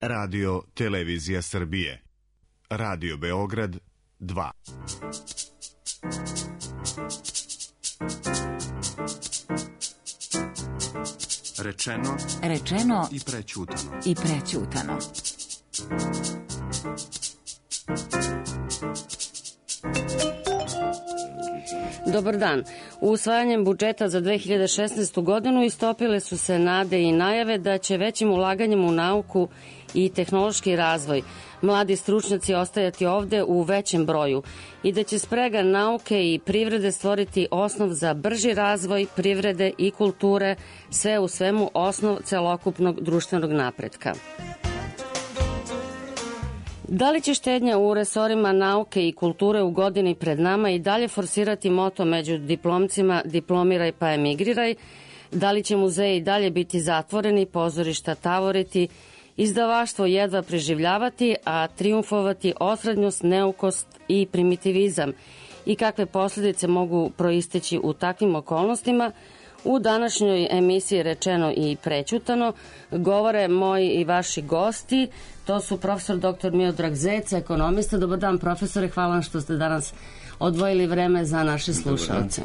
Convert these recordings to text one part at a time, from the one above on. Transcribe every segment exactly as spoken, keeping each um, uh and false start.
Radio Televizija Srbije. Radio Beograd dva. Rečeno, rečeno i prećutano. I prećutano. Dobar dan. Usvajanjem budžeta za dve hiljade šesnaestu. godinu istopile su se nade i najave da će većim ulaganjem u nauku i tehnološki razvoj mladi stručnjaci ostajati ovde u većem broju i da će sprega nauke i privrede stvoriti osnov za brži razvoj privrede i kulture, sve u svemu osnov celokupnog društvenog napretka. Da li će štednja u resorima nauke i kulture u godini pred nama i dalje forsirati moto među diplomcima diplomiraj pa emigriraj? Da li će muzeji i dalje biti zatvoreni, pozorišta tavoriti, izdavaštvo jedva preživljavati, a triumfovati osrednjost, neukost i primitivizam? I kakve posljedice mogu proisteći u takvim okolnostima? U današnjoj emisiji Rečeno i prećutano govore moji i vaši gosti. To su profesor doktor Miodrag Zec, ekonomista. Dobar dan, profesore, hvala vam što ste danas odvojili vreme za naše slušalce.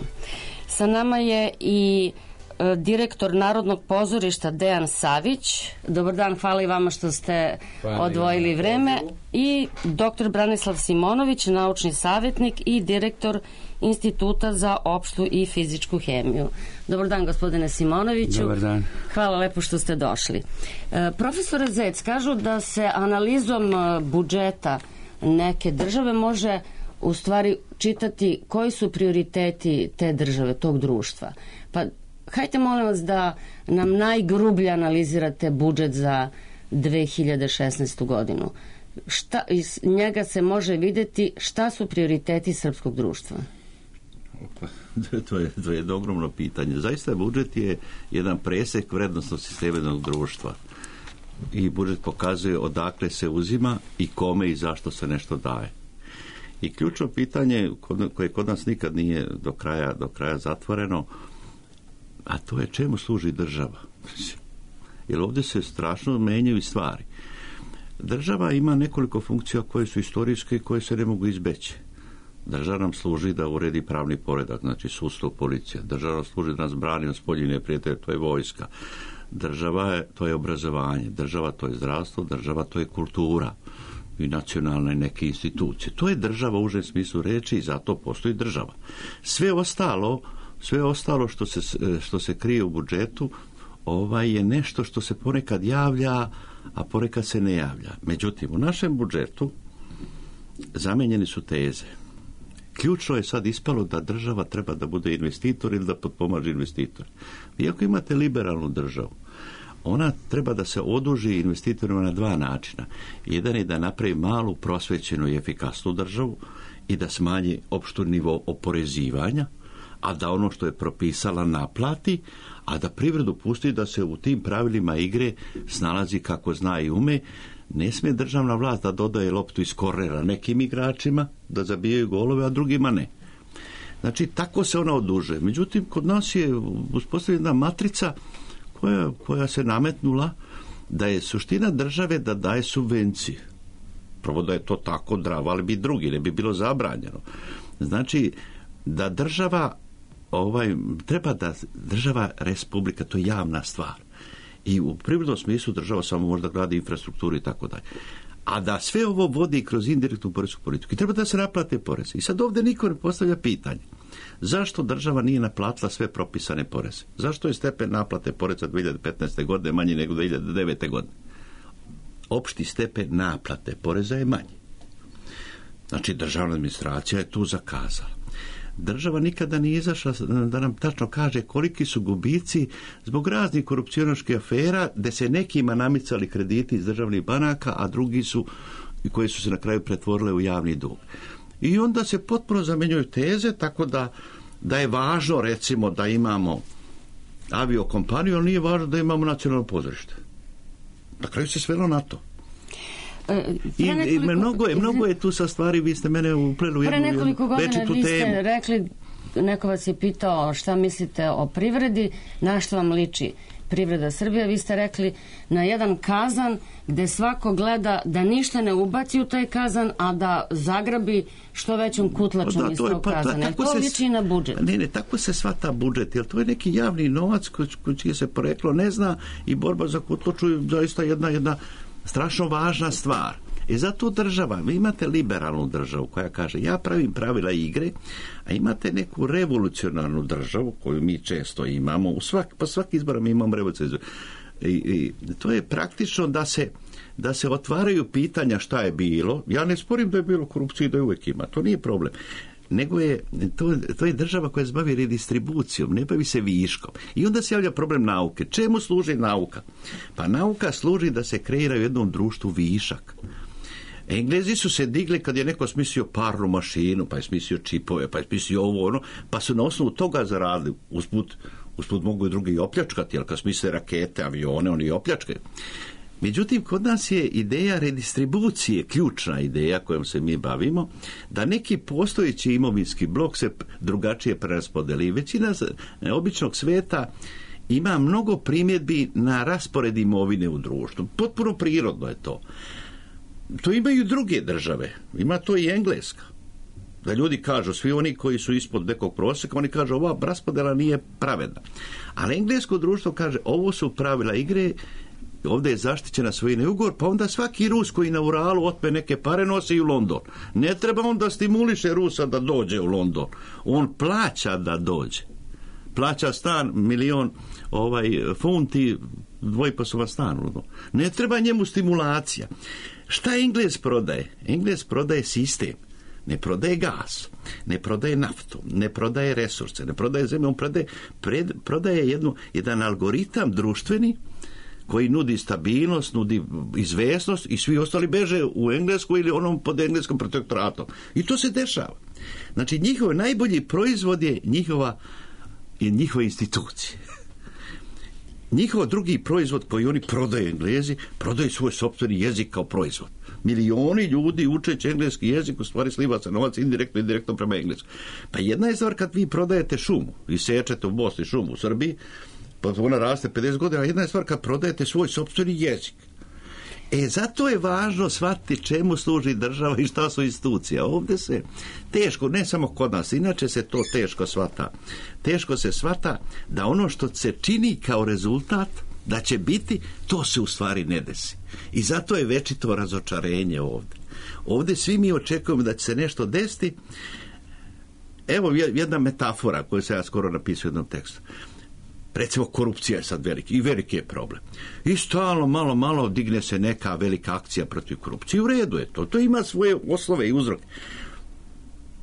Sa nama je i e, direktor Narodnog pozorišta Dejan Savić. Dobar dan, hvala i vama što ste hvala odvojili vreme. I doktor Branislav Simonović, naučni savjetnik i direktor Instituta za opštu i fizičku hemiju. Dobar dan, gospodine Simonoviću. Dobar dan. Hvala lepo što ste došli. E, profesore Zec, kažu da se analizom budžeta neke države može u stvari čitati koji su prioriteti te države, tog društva. Pa hajte molim vas da nam najgrublje analizirate budžet za dve hiljade šesnaestu. godinu. Šta, iz njega se može videti šta su prioriteti srpskog društva? To je, to je jedno ogromno pitanje. Zaista budžet je jedan presek vrednostnog sistema jednog društva. I budžet pokazuje odakle se uzima i kome i zašto se nešto daje. I ključno pitanje koje kod nas nikad nije do kraja, do kraja zatvoreno, a to je čemu služi država. Jer ovdje se strašno menjaju stvari. Država ima nekoliko funkcija koje su istorijske i koje se ne mogu izbeći. Država nam služi da uredi pravni poredak, znači sudstvo, policija. Država nam služi da nas brani od spoljnih neprijatelja, to je vojska. Država je, to je obrazovanje. Država to je zdravstvo, država to je kultura i nacionalne neke institucije. To je država u užem smislu reči i zato postoji država. Sve ostalo, sve ostalo što se, što se krije u budžetu, ovaj je nešto što se ponekad javlja, a ponekad se ne javlja. Međutim, u našem budžetu zamenjeni su teze. Ključno je sad ispalo da država treba da bude investitor ili da potpomaže investitor. Vi ako imate liberalnu državu, ona treba da se oduži investitorima na dva načina. Jedan je da napravi malu, prosvećenu i efikasnu državu i da smanji opštu nivo oporezivanja, a da ono što je propisala naplati, a da privredu pusti da se u tim pravilima igre snalazi kako zna i ume. Ne smije državna vlast da dodaje loptu iz kornera nekim igračima, da zabijaju golove, a drugima ne. Znači, tako se ona odužuje. Međutim, kod nas je uspostavljena matrica koja, koja se nametnula da je suština države da daje subvencije. Prvo da je to tako dravo, ali bi drugi, ne bi bilo zabranjeno. Znači, da država, ovaj, treba da država, republika, to je javna stvar. I u privrednom smislu država samo možda gradi infrastrukturu i tako dalje. A da sve ovo vodi kroz indirektnu poresku politiku. I treba da se naplate poreze. I sad ovdje niko ne postavlja pitanje. Zašto država nije naplatila sve propisane poreze? Zašto je stepen naplate poreza dve hiljade petnaeste. godine manji nego dve hiljade devete. godine? Opšti stepen naplate poreza je manji. Znači, državna administracija je tu zakazala. Država nikada nije izašla da nam tačno kaže koliki su gubici zbog raznih korupcionaških afera, gde se nekima namicali krediti iz državnih banaka, a drugi su, koji su se na kraju pretvorile u javni dug. I onda se potpuno zamenjuju teze, tako da, da je važno, recimo, da imamo aviokompaniju, ali nije važno da imamo nacionalno pozorište. Na kraju se svelo na to. I, i mnogo, je, mnogo je tu sa stvari, vi ste mene upleli u jednu večitu temu. Pre nekoliko godina vi ste temu. rekli, neko vas je pitao šta mislite o privredi, na što vam liči privreda Srbije. Vi ste rekli na jedan kazan gde svako gleda da ništa ne ubaci u taj kazan, a da zagrabi što većom kutlačom da, iz to tog pa, kazana. To se, liči na budžet. Ne, ne, tako se svata budžet, jer to je neki javni novac koji, koji čije se poreklo ne zna i borba za kutlaču je zaista jedna, jedna strašno važna stvar. I zato država, vi imate liberalnu državu koja kaže ja pravim pravila igre, a imate neku revolucionarnu državu koju mi često imamo, u svak, pa svaki izbora mi imamo revolucionarnu. I, i to je praktično da se, da se otvaraju pitanja šta je bilo. Ja ne sporim da je bilo korupcije i da je uvijek ima, to nije problem. Nego je, to, to je država koja se bavi redistribucijom, ne bavi se viškom. I onda se javlja problem nauke. Čemu služi nauka? Pa nauka služi da se kreira u jednom društvu višak. Englezi su se digli kad je neko smislio parnu mašinu, pa je smislio čipove, pa je smislio ovo, ono, pa su na osnovu toga zaradili. Usput, usput mogu i drugi i opljačkati, jer kad smisle rakete, avione, oni i opljačkaju. Međutim, kod nas je ideja redistribucije, ključna ideja kojom se mi bavimo, da neki postojeći imovinski blok se drugačije preraspodeli. Većina običnog sveta ima mnogo primjedbi na raspored imovine u društvu. Potpuno prirodno je to. To imaju druge države. Ima to i Engleska. Da ljudi kažu, svi oni koji su ispod nekog prosjeka, oni kažu ova raspodela nije pravedna. Ali englesko društvo kaže ovo su pravila igre, ovdje je zaštićena svojina ugovor, pa onda svaki Rus koji na Uralu otme neke pare nosi u London. Ne treba on da stimuliše Rusa da dođe u London. On plaća da dođe. Plaća stan milion ovaj, funti, dvojposovan stan. Ne treba njemu stimulacija. Šta Englez prodaje? Englez prodaje sistem. Ne prodaje gas, ne prodaje naftu, ne prodaje resurse, ne prodaje zemlju, on prodaje, pred, prodaje jednu, jedan algoritam društveni koji nudi stabilnost, nudi izvesnost i svi ostali beže u Englesku ili onom pod engleskom protektoratom. I to se dešava. Znači, njihov najbolji proizvod je njihova, je njihove institucije. Njihov drugi proizvod koji oni prodaju Englezi, prodaju svoj sopstveni jezik kao proizvod. Milioni ljudi učeći engleski jezik u stvari sliva se novac indirektno i direktno prema engleskom. Pa jedna je stvar kad vi prodajete šumu i sečete u Bosni šumu u Srbiji, pa ona raste pedeset godina, a jedna je stvar kad prodajete svoj sopstveni jezik. E, zato je važno shvatiti čemu služi država i šta su institucije. Ovdje se teško, ne samo kod nas, inače se to teško shvata. Teško se shvata da ono što se čini kao rezultat, da će biti, to se u stvari ne desi. I zato je večito razočarenje ovdje. Ovdje svi mi očekujemo da će se nešto desiti. Evo jedna metafora koju se ja skoro napisao u jednom tekstu. Recimo, korupcija je sad veliki i veliki je problem. I stalno, malo, malo digne se neka velika akcija protiv korupcije. U redu je to. To ima svoje oslove i uzroke.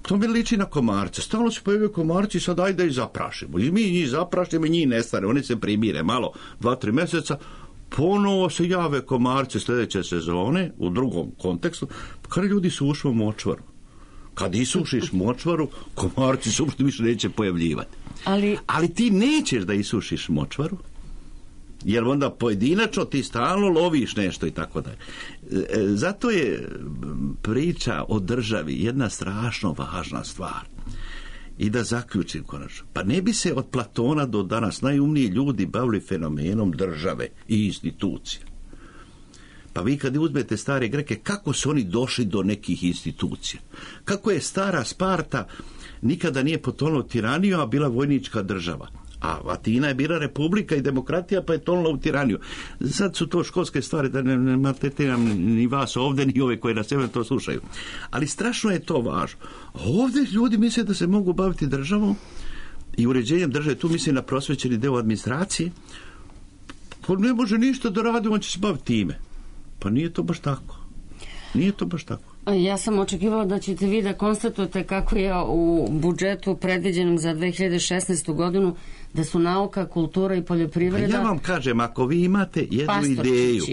To mi liči na komarce. Stalno se pojavljaju komarci i sad ajde da ih zaprašimo. I mi njih zaprašimo i njih nestane. Oni se primire malo, dva, tri mjeseca. Ponovo se jave komarci sljedeće sezone u drugom kontekstu. Kada ljudi su ušli u močvaru. Kad isušiš močvaru, komarci se uopšte više neće pojavljivati. Ali... Ali ti nećeš da isušiš močvaru, jer onda pojedinačno ti stalno loviš nešto i tako dalje. Zato je priča o državi jedna strašno važna stvar. I da zaključim konačno. Pa ne bi se od Platona do danas najumniji ljudi bavili fenomenom države i institucija. Pa vi kad uzmete stare Greke, kako su oni došli do nekih institucija? Kako je stara Sparta nikada nije potonula u tiraniju, a bila vojnička država? A Atina je bila republika i demokratija, pa je tonula u tiraniju. Sad su to školske stvari, da ne, ne maltretiram ni vas ovdje, ni ove koji na sebe to slušaju. Ali strašno je to važno. Ovdje ljudi misle da se mogu baviti državom i uređenjem države, tu mislim na prosvećeni deo administracije. Pa ne može ništa da radi, on će se baviti time. Pa nije to baš tako. Nije to baš tako. Ja sam očekivala da ćete vi da konstatujete kako je u budžetu predviđenom za dve hiljade šesnaestu godinu da su nauka, kultura i poljoprivreda... Pa ja vam kažem, ako vi imate jednu ideju,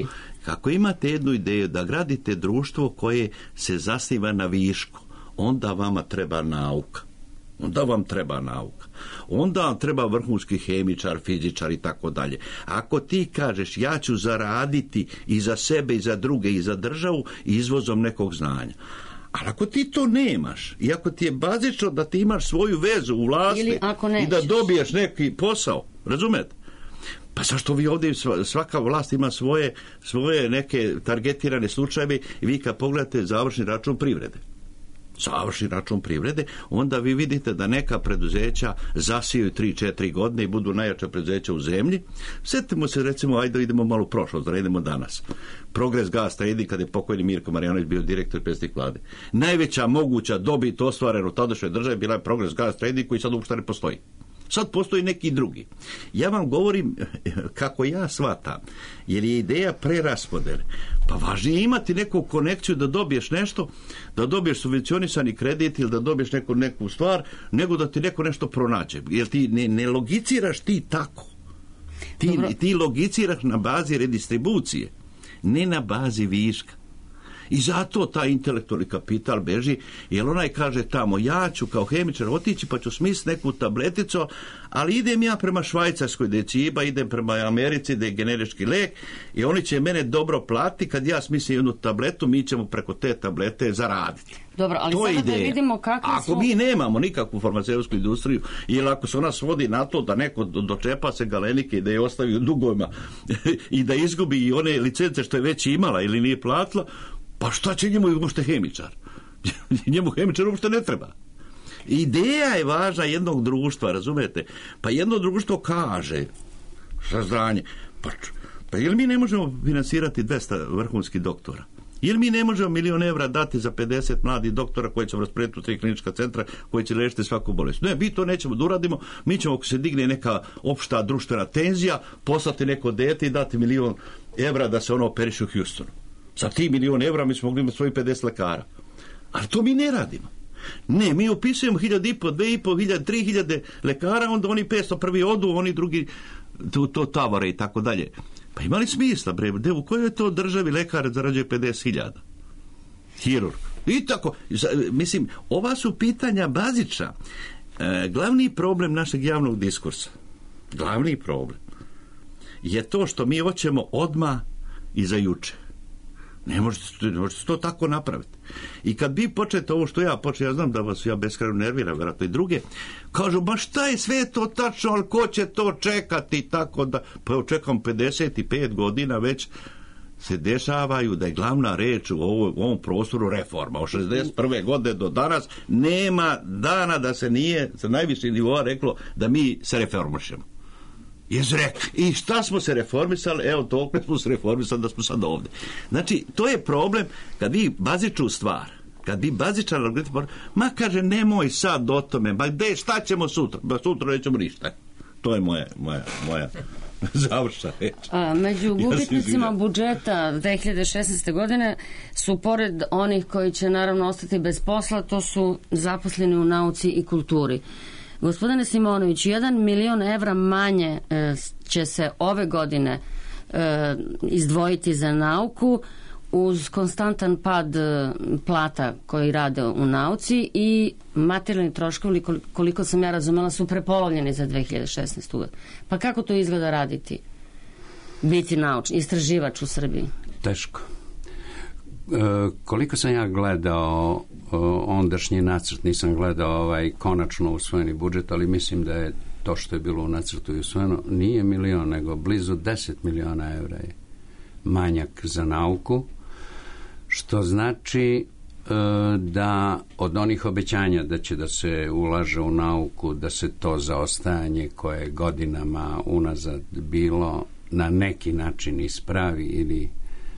kako imate jednu ideju da gradite društvo koje se zasniva na višku, onda vama treba nauka. Onda vam treba nauka. Onda vam treba vrhunski hemičar, fizičar i tako dalje. Ako ti kažeš ja ću zaraditi i za sebe i za druge i za državu izvozom nekog znanja. Ali ako ti to nemaš i ako ti je bazično da ti imaš svoju vezu u vlasti i da dobiješ neki posao, razumete? Pa zašto vi ovdje, svaka vlast ima svoje, svoje neke targetirane slučajeve i vi kad pogledate završni račun privrede, završni račun privrede, onda vi vidite da neka preduzeća zasiju tri četiri godine i budu najjača preduzeća u zemlji. Sjetimo se, recimo, ajde idemo malo u prošlost, da idemo danas. Progres Gas Trading, kada je pokojni Mirko Marjanović bio direktor i predsjednik vlade. Najveća moguća dobit ostvarena u tadašnjoj državi bila je Progres Gas Trading, koji sad uopšte ne postoji. Sad postoji neki drugi. Ja vam govorim kako ja shvatam, jer je ideja preraspodele. Pa važnije je imati neku konekciju da dobiješ nešto, da dobiješ subvencionisani kredit ili da dobiješ neku, neku stvar, nego da ti neko nešto pronađe. Jer ti ne, ne logiciraš ti tako. Ti, ti logiciraš na bazi redistribucije, ne na bazi viška. I zato taj intelektualni kapital beži, jer onaj kaže tamo, ja ću kao hemičar otići pa ću smisliti neku tableticu, ali idem ja prema Švajcarskoj gdje je ciba, idem prema Americi gdje je generički lek i oni će mene dobro platiti, kad ja smislim jednu tabletu, mi ćemo preko te tablete zaraditi. Dobro, ali to sada da vidimo kakve Ako su... mi nemamo nikakvu farmaceutsku industriju, ili ako se ona svodi na to da neko dočepa se Galenike i da je ostavi u dugovima i da izgubi i one licence što je već imala ili nije platila, pa šta će njemu uopšte hemičar? Njemu hemičar uopšte ne treba. Ideja je važna jednog društva, razumete? Pa jedno društvo kaže, saznanje, pa, pa jel mi ne možemo finansirati dvesta vrhunskih doktora? Jel mi ne možemo milion evra dati za pedeset mladih doktora koji ćemo rasporediti u tri klinička centra koji će liječiti svaku bolest? Ne, mi to nećemo da uradimo, mi ćemo, ako se digne neka opšta društvena tenzija, poslati neko dete i dati milion evra da se ono operiše u Houstonu. Za ti milion evra mi smo mogli imati svojih pedeset lekara. Ali to mi ne radimo. Ne, mi upisujemo hiljad i po, dve i po, hiljad, tri hiljade lekara, onda oni petsto prvi odu, oni drugi to, to tavore i tako dalje. Pa ima li smisla, bre, de, u kojoj to državi lekar zarađuje pedeset hiljada? Hirurg. I tako, mislim, ova su pitanja bazična. E, glavni problem našeg javnog diskursa, glavni problem, je to što mi hoćemo odmah i za juče. Ne možete, ne možete to tako napraviti. I kad vi počnete ovo što ja počnem, ja znam da vas ja beskrajno nerviram, vjerojatno i druge, kažu, ba šta je sve to tačno, ali ko će to čekati, tako da, pa evo čekam pedeset pet godina već se dešavaju da je glavna reč u, ovo, u ovom prostoru reforma. Od šezdeset prve godine do danas nema dana da se nije sa najviših nivoa reklo da mi se reformišemo. Jezrek. I šta smo se reformisali? Evo, toliko smo se reformisali da smo sad ovdje. Znači, to je problem kad vi bazičnu stvar, kad vi bazičan algoritam, ma kaže, nemoj sad o tome, ma gde, šta ćemo sutra? Ba sutra nećemo ništa. To je moja, moja, moja završna reč. A, među gubitnicima ja budžeta dve hiljade šesnaeste. godine su, pored onih koji će naravno ostati bez posla, to su zaposleni u nauci i kulturi. Gospodine Simonović, jedan milion evra manje e, će se ove godine e, izdvojiti za nauku uz konstantan pad e, plata koji rade u nauci i materijalni troškovi, koliko sam ja razumela, su prepolovljeni za dve hiljade šesnaestu. Pa kako to izgleda raditi? Biti naučni, istraživač u Srbiji? Teško. E, koliko sam ja gledao ondašnji nacrt, nisam gledao ovaj konačno usvojeni budžet, ali mislim da je to što je bilo u nacrtu i usvojeno nije milion, nego blizu deset miliona evra je manjak za nauku, što znači e, da od onih obećanja da će da se ulaže u nauku, da se to zaostajanje koje je godinama unazad bilo na neki način ispravi ili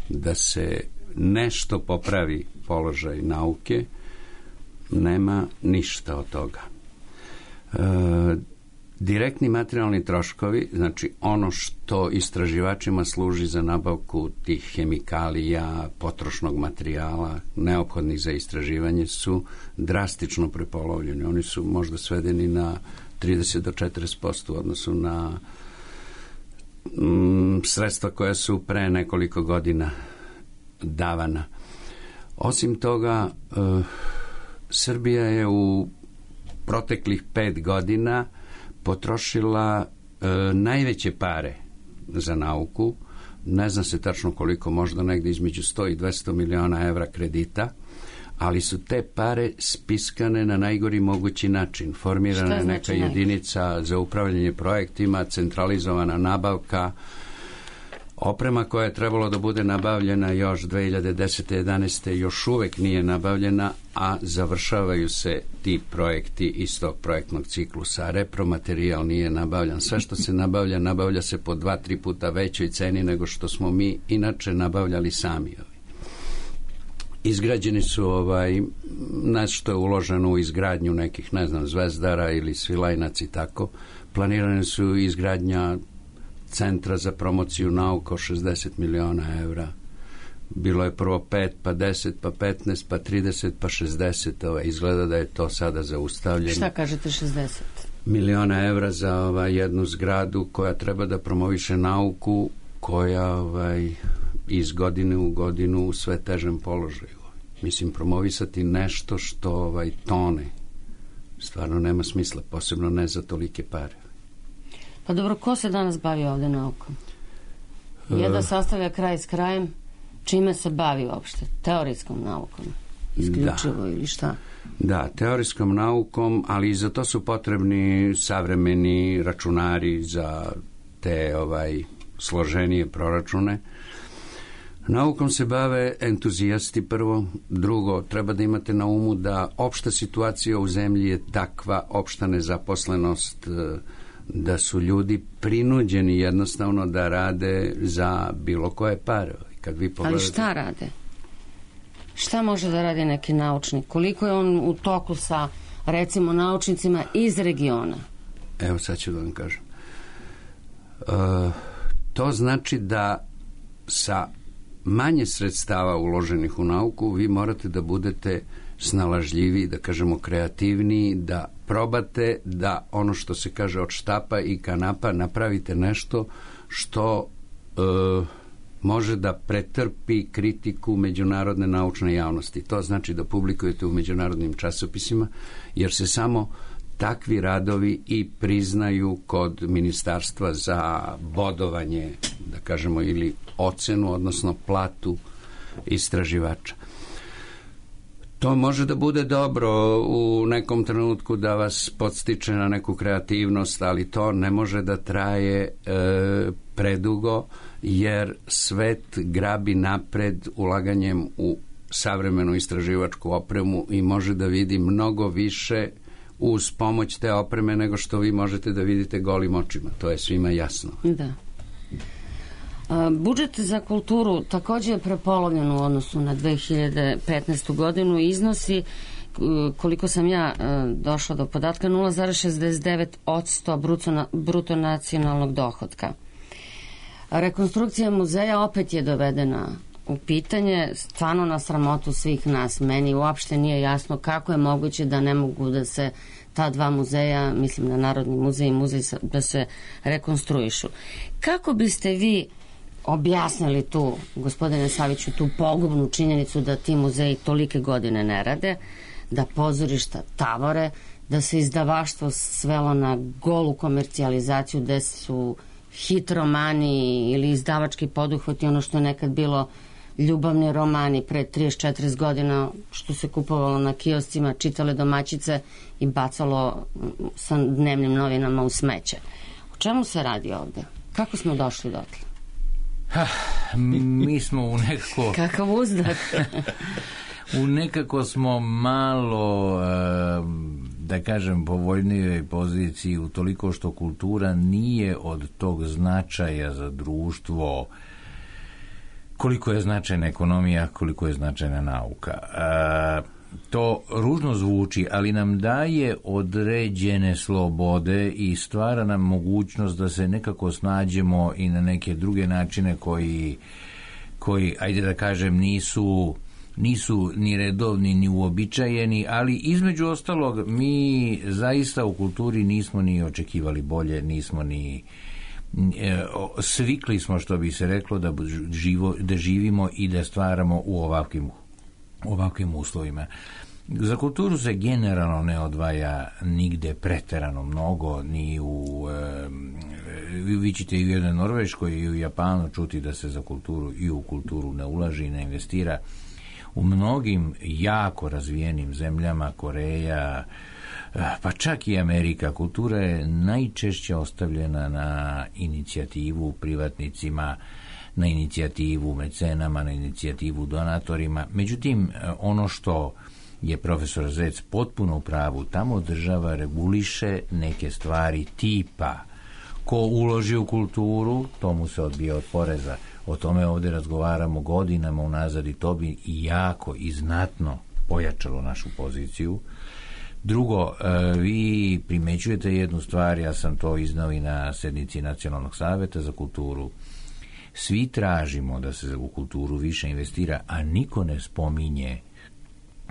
da se nešto popravi položaj nauke, nema ništa od toga. E, direktni materijalni troškovi, znači ono što istraživačima služi za nabavku tih hemikalija, potrošnog materijala, neophodnih za istraživanje, su drastično prepolovljeni. Oni su možda svedeni na trideset do četrdeset posto u odnosu na mm, sredstva koja su pre nekoliko godina davana. Osim toga, e, Srbija je u proteklih pet godina potrošila e, najveće pare za nauku. Ne zna se tačno koliko, možda negdje između sto i dvesta miliona evra kredita, ali su te pare spiskane na najgori mogući način. Formirana je neka znači jedinica za upravljanje projektima, centralizovana nabavka, oprema koja je trebalo da bude nabavljena još dve hiljade desete. jedanaeste. još uvek nije nabavljena, a završavaju se ti projekti iz tog projektnog ciklusa. Repromaterijal nije nabavljan. Sve što se nabavlja, nabavlja se po dva, tri puta većoj ceni nego što smo mi inače nabavljali sami. Izgrađeni su ovaj, nešto je uloženo u izgradnju nekih, ne znam, Zvezdara ili Svilajnac i tako. Planirane su izgradnja centra za promociju nauka, šezdeset miliona evra. Bilo je prvo pet, pa deset, pa petnaest, pa trideset, pa šezdeset. Ovaj, izgleda da je to sada zaustavljeno. Šta kažete šezdeset? Miliona evra za ovaj, jednu zgradu koja treba da promoviše nauku, koja ovaj, iz godine u godinu u sve težem položaju. Mislim, promovisati nešto što ovaj, tone stvarno nema smisla, posebno ne za tolike pare. Pa dobro, ko se danas bavi ovde naukom? Je da sastavlja kraj s krajem? Čime se bavi uopšte? Teorijskom naukom? Isključivo da. Ili šta? Da, teorijskom naukom, ali i za to su potrebni savremeni računari za te ovaj, složenije proračune. Naukom se bave entuzijasti prvo, drugo, treba da imate na umu da opšta situacija u zemlji je takva, opšta nezaposlenost, da su ljudi prinuđeni jednostavno da rade za bilo koje pare. Kad vi pogledate... Ali šta rade? Šta može da radi neki naučnik? Koliko je on u toku sa, recimo, naučnicima iz regiona? Evo sad ću da vam kažem. Uh, to znači da sa manje sredstava uloženih u nauku vi morate da budete snalažljivi, da kažemo kreativniji, da probate da ono što se kaže od štapa i kanapa napravite nešto što e, može da pretrpi kritiku međunarodne naučne javnosti. To znači da publikujete u međunarodnim časopisima, jer se samo takvi radovi i priznaju kod ministarstva za bodovanje, da kažemo, ili ocenu, odnosno platu istraživača. To može da bude dobro u nekom trenutku da vas podstiče na neku kreativnost, ali to ne može da traje e, predugo, jer svet grabi napred ulaganjem u savremenu istraživačku opremu i može da vidi mnogo više uz pomoć te opreme nego što vi možete da vidite golim očima. To je svima jasno. Da. A, budžet za kulturu također je prepolovljen u odnosu na dve hiljade petnaestu. godinu i iznosi, koliko sam ja došla do podatka, nula zarez šezdeset devet posto bruto, bruto nacionalnog dohotka. Rekonstrukcija muzeja opet je dovedena u pitanje, stvarno na sramotu svih nas. Meni uopšte nije jasno kako je moguće da ne mogu da se ta dva muzeja, mislim na Narodni muzej i muzej, da se rekonstruišu. Kako biste vi objasnili tu, gospodine Saviću, tu pogubnu činjenicu da ti muzeji tolike godine ne rade, da pozorišta tavore, da se izdavaštvo svelo na golu komercijalizaciju, gde su hit romani ili izdavački poduhvati, ono što je nekad bilo ljubavni romani pre trideset četrdeset godina, što se kupovalo na kioscima, čitale domaćice i bacalo sa dnevnim novinama u smeće. O čemu se radi ovde? Kako smo došli dotle? Ha, mi smo u nekako... Kakav uzdah? U nekako smo malo, da kažem, povoljnijoj poziciji u toliko što kultura nije od tog značaja za društvo koliko je značajna ekonomija, koliko je značajna nauka. To ružno zvuči, ali nam daje određene slobode i stvara nam mogućnost da se nekako snađemo i na neke druge načine koji, koji ajde da kažem, nisu... nisu ni redovni, ni uobičajeni, ali između ostalog mi zaista u kulturi nismo ni očekivali bolje, nismo ni e, svikli smo, što bi se reklo, da, živo, da živimo i da stvaramo u ovakvim, ovakvim uslovima. Za kulturu se generalno ne odvaja nigde preterano mnogo, ni u e, vi ćete i u jednoj Norveškoj i u Japanu čuti da se za kulturu i u kulturu ne ulaži i ne investira. U mnogim jako razvijenim zemljama, Koreja, pa čak i Amerika, kultura je najčešće ostavljena na inicijativu privatnicima, na inicijativu mecenama, na inicijativu donatorima. Međutim, ono što je profesor Zec potpuno u pravu, tamo država reguliše neke stvari tipa ko uloži u kulturu, to mu se odbija od poreza. O tome ovdje razgovaramo godinama unazad i to bi i jako i znatno pojačalo našu poziciju. Drugo, vi primećujete jednu stvar, ja sam to iznao i na sednici Nacionalnog savjeta za kulturu. Svi tražimo da se u kulturu više investira, a niko ne spominje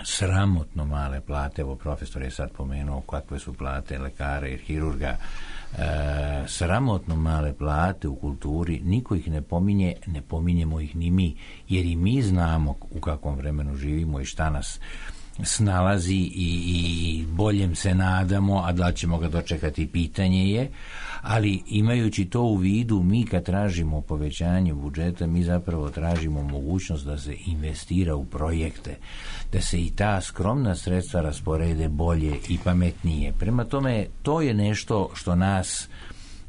sramotno male plate. Evo, profesor je sad pomenuo kakve su plate lekara i hirurga. E, sramotno male plate u kulturi, niko ih ne pominje, ne pominjemo ih ni mi, jer i mi znamo u kakvom vremenu živimo i šta nas snalazi i, i boljem se nadamo, a da ćemo ga dočekati pitanje je, ali imajući to u vidu, mi kad tražimo povećanje budžeta, mi zapravo tražimo mogućnost da se investira u projekte, da se i ta skromna sredstva rasporede bolje i pametnije. Prema tome, to je nešto što nas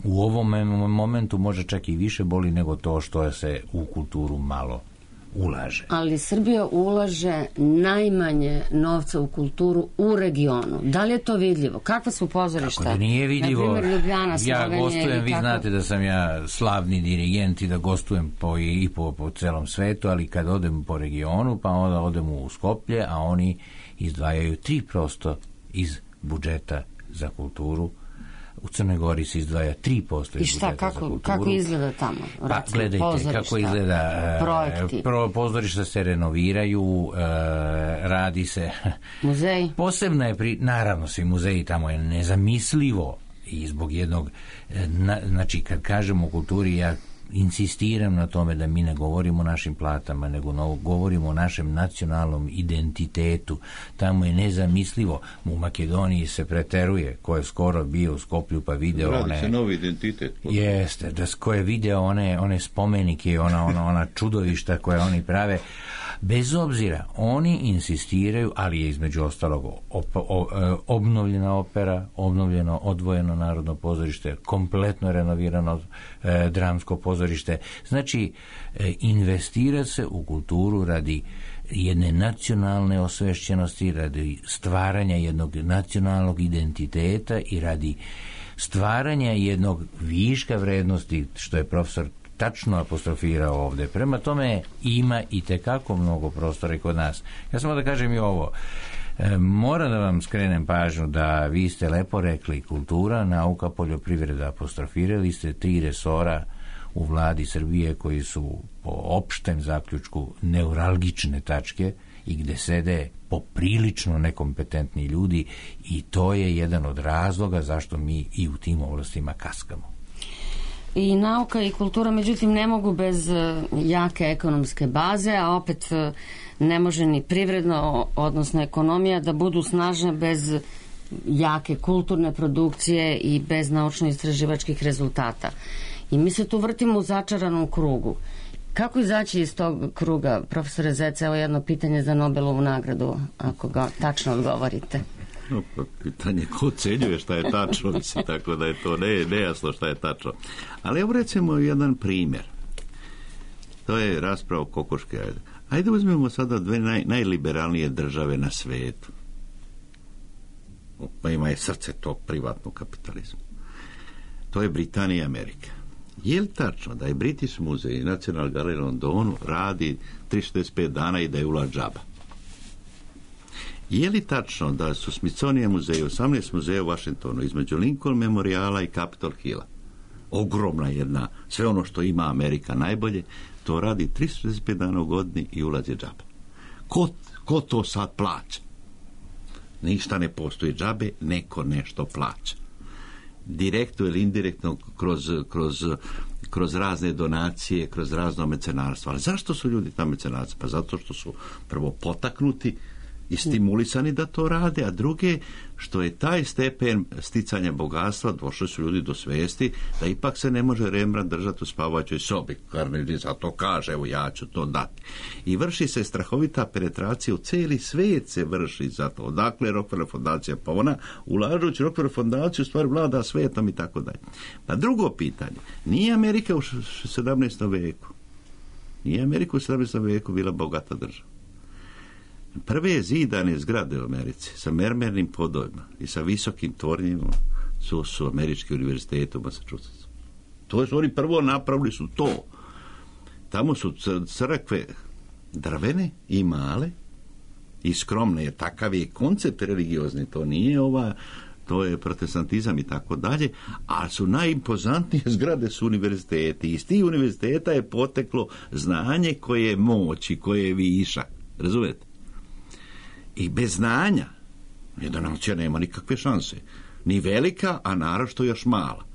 u ovom momentu može čak i više boli nego to što se u kulturu malo ulaže. Ali Srbija ulaže najmanje novca u kulturu u regionu. Da li je to vidljivo? Kakva su pozorišta? Kako da nije vidljivo? Na primjer, Ljubljana, ja gostujem, vi kako... znate da sam ja slavni dirigent i da gostujem po, i po, po celom svetu, ali kad odem po regionu, pa onda odem u Skoplje, a oni izdvajaju tri posto iz budžeta za kulturu. U Crnoj Gori se izdvaja tri posto iz budžeta kako, za kulturu. Kako izgleda tamo? Pa gledajte, kako izgleda. Projekti. Pro, pozorišta se renoviraju, e, radi se... Muzeji? Posebno je, pri, naravno, svi muzeji tamo je nezamislivo i zbog jednog... Na, znači, kad kažemo o kulturi, ja insistiram na tome da mi ne govorimo o našim platama, nego no, govorimo o našem nacionalnom identitetu. Tamo je nezamislivo. U Makedoniji se preteruje, ko je skoro bio u Skoplju pa video Radi one... Radi se novi identitet. Jeste, da ko je video one, one spomenike, ona, ona, ona čudovišta koje oni prave. Bez obzira, oni insistiraju, ali je između ostalog op, o, obnovljena opera, obnovljeno odvojeno narodno pozorište, kompletno renovirano e, dramsko pozorište. Znači, e, investira se u kulturu radi jedne nacionalne osvešćenosti, radi stvaranja jednog nacionalnog identiteta i radi stvaranja jednog viška vrednosti, što je profesor tačno apostrofirao ovdje. Prema tome ima i tekako mnogo prostora i kod nas. Ja samo da kažem i ovo. E, moram da vam skrenem pažnju da vi ste lepo rekli kultura, nauka, poljoprivreda. Apostrofirali ste tri resora u vladi Srbije koji su po opštem zaključku neuralgične tačke i gde sede poprilično nekompetentni ljudi i to je jedan od razloga zašto mi i u tim oblastima kaskamo. I nauka i kultura, međutim, ne mogu bez jake ekonomske baze, a opet ne može ni privredno, odnosno ekonomija, da budu snažne bez jake kulturne produkcije i bez naučno-istraživačkih rezultata. I mi se tu vrtimo u začaranom krugu. Kako izaći iz tog kruga, profesore Zec? Evo jedno pitanje za Nobelovu nagradu, ako ga tačno odgovorite. No, pa pitanje ko ocenjuje šta je tačno, mislim, tako da je to ne, nejasno šta je tačno. Ali evo recimo jedan primjer. To je rasprava o kokoške. Ajde, Ajde uzmemo sada dve naj, najliberalnije države na svetu. Pa ima je srce tog privatnog kapitalizma. To je Britanija i Amerika. Je li tačno da je British muzej i National Gallery u Londonu radi tristo šezdeset pet dana i da je ulaz džaba? Je li tačno da su Smithsonian muzeji, osamnaest muzeja u Washingtonu, između Lincoln Memoriala i Capitol Hilla, ogromna jedna, sve ono što ima Amerika najbolje, to radi tristo šezdeset pet dana u godini i ulaz je džaba. Ko, ko to sad plaća? Ništa ne postoji džabe, neko nešto plaća. Direktno ili indirektno kroz, kroz, kroz razne donacije, kroz razno mecenarstvo. Ali zašto su ljudi ta mecenarstva? Pa zato što su prvo potaknuti i stimulisani da to rade, a druge što je taj stepen sticanja bogatstva, došli su ljudi do svesti da ipak se ne može Rembrandt držati u spavaćoj sobi. Carnegie zato kaže, evo ja ću to dati. I vrši se strahovita penetracija u cijeli svijet se vrši zato. Odakle Rockefeller fondacija? Pa ona ulažući Rockefeller fondaciju stvar vlada svijetom i tako dalje. Pa drugo pitanje, nije Amerika u sedamnaestom veku. Nije Amerika u sedamnaestom veku bila bogata država. Prve zidane zgrade u Americi sa mermernim podovima i sa visokim tornjima su, su američki univerziteti u Massachusettsu. To su oni prvo napravili su to. Tamo su crkve drvene i male i skromne. Je takav je koncept religiozni. To nije ova, to je protestantizam i tako dalje, a su najimpozantnije zgrade su univerziteti. Iz tih univerziteta je poteklo znanje koje je moć i koje je višak. Razumete? I bez znanja jedna nacija nema nikakve šanse. Ni velika, a naročito još mala.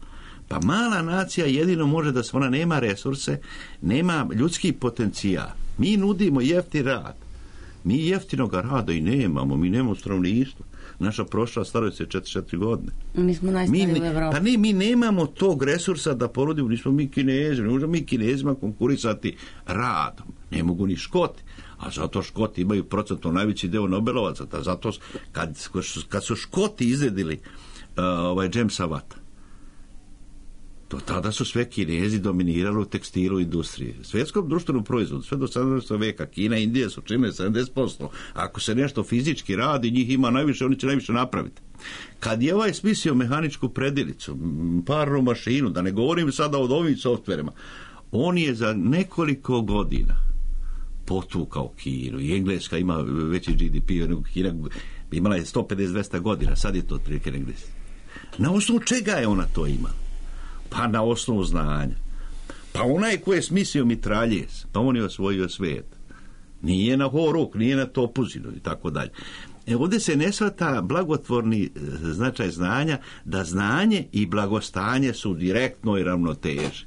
Pa mala nacija jedino može da se ona nema resurse, nema ljudski potencijal. Mi nudimo jeftin rad. Mi jeftinog rada i nemamo, mi nemamo stanovništva. Naša prošla staruje se četrdeset četiri godine. Mi smo najstariji u Evropi. Pa ne, mi nemamo tog resursa da porodimo, nismo mi Kinezi, ne možemo mi Kinezima konkurisati radom. Ne mogu ni Škoti. A zato Škoti imaju procentno najveći deo Nobelovaca. Da zato kad, kad su Škoti izredili uh, ovaj Jamesa Watta, to tada su sve Kinezi dominirali u tekstilu industriji. Svjetskom društvenom proizvodu, sve do sedamnaestog veka, Kina i Indija su čine sedamdeset posto. Ako se nešto fizički radi, njih ima najviše, oni će najviše napraviti. Kad je ovaj smislio mehaničku predilicu, parnu mašinu, da ne govorim sada o ovim softverima, on je za nekoliko godina potukao Kinu. I Engleska ima veći G D P nego Kina, imala je sto pedeset do dvesta godina, sad je to otprilike Engleska. Na osnovu čega je ona to imala? Pa na osnovu znanja. Pa onaj ko je smislio mitraljez, pa on je osvojio svijet. Nije na horuk, nije na topuzinu i tako dalje. E, ovdje se ne shvata blagotvorni značaj znanja, da znanje i blagostanje su direktno i ravnoteži.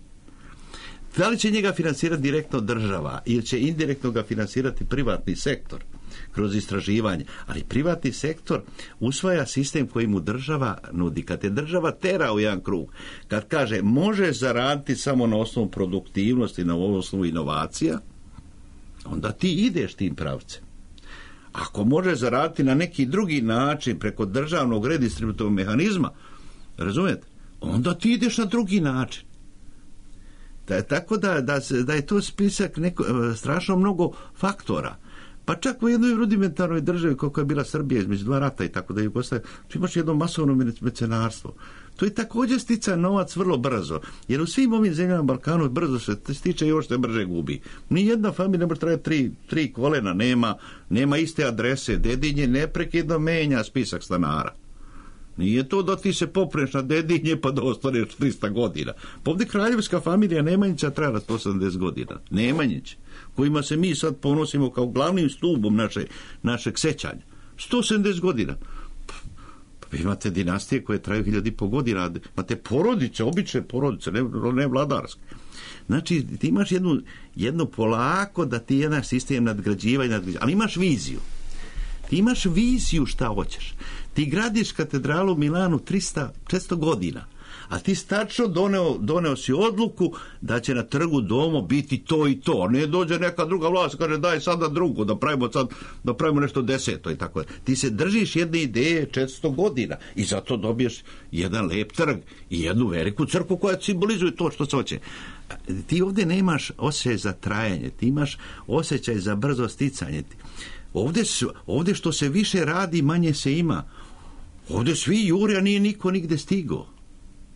Da li će njega finansirati direktno država ili će indirektno ga finansirati privatni sektor kroz istraživanje, ali privatni sektor usvaja sistem koji mu država nudi. Kad je država tera u jedan krug, kad kaže može zaraditi samo na osnovu produktivnosti, na osnovu inovacija, onda ti ideš tim pravcem. Ako može zaraditi na neki drugi način preko državnog redistributivnog mehanizma, razumijete, onda ti ideš na drugi način. Da, tako da, da, da je to spisak neko, strašno mnogo faktora. Pa čak u jednoj rudimentarnoj državi kako je bila Srbija između dva rata i tako da je postaje, tu imaš jedno masovno mecenarstvo. To je također stica novac vrlo brzo, jer u svim ovim zemljama Balkanu brzo se stiče i još se brže gubi. Nijedna familija ne može trajati tri, tri kolena, nema, nema iste adrese, dedinje neprekidno menja spisak stanara. Nije to da ti se popreš na dedinje pa da ostaneš trista godina. Pa ovdje kraljevska familija Nemanjića trajala sto osamdeset godina. Nemanjić, kojima se mi sad ponosimo kao glavnim stubom naše, našeg sećanja. sto sedamdeset godina. Pa, pa imate dinastije koje traju hiljadu i po godina. Imate porodice, obične porodice, ne, ne vladarske. Znači, ti imaš jednu, jednu polako da ti jedan sistem nadgrađiva i nadgrađiva. Ali imaš viziju. Ti imaš viziju šta hoćeš. Ti gradiš katedralu u Milanu trista četiristo godina, a ti tačno doneo, doneo si odluku da će na trgu Domo biti to i to. Ne dođe neka druga vlast, kaže daj sada drugu, da pravimo, sad, da pravimo nešto deseto i tako. Ti se držiš jedne ideje četiristo godina i zato dobiješ jedan lep trg i jednu veliku crkvu koja simbolizuje to što se hoće. Ti ovdje nemaš osjećaj za trajanje, ti imaš osjećaj za brzo sticanje. Ovdje, ovdje što se više radi, manje se ima. Ovdje svi jure, a nije niko nigde stigao.